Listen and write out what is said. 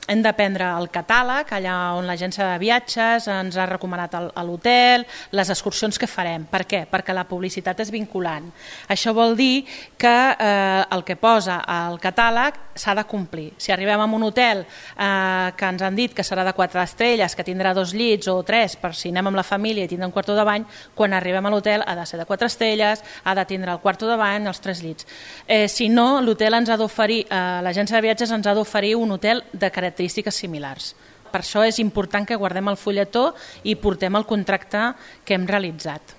hem de prendre el catàleg, allà on l'agència de viatges ens ha recomanat l'hotel, les excursions que farem. Per què? Perquè la publicitat és vinculant. Això vol dir que el que posa al catàleg s'ha de complir. Si arribem a un hotel que ens han dit que serà de 4 estrelles, que tindrà 2 llits o 3, per si anem amb la família i tindrà un quarto de bany, quan arribem a l'hotel ha de ser de 4 estrelles, ha de tindre el quarto de bany, els 3 llits. Si no, l'hotel ens ha d'oferir, l'agència de viatges ens ha d'oferir un hotel de característiques similars. Per això és important que guardem el fulletó i portem el contracte que hem realitzat.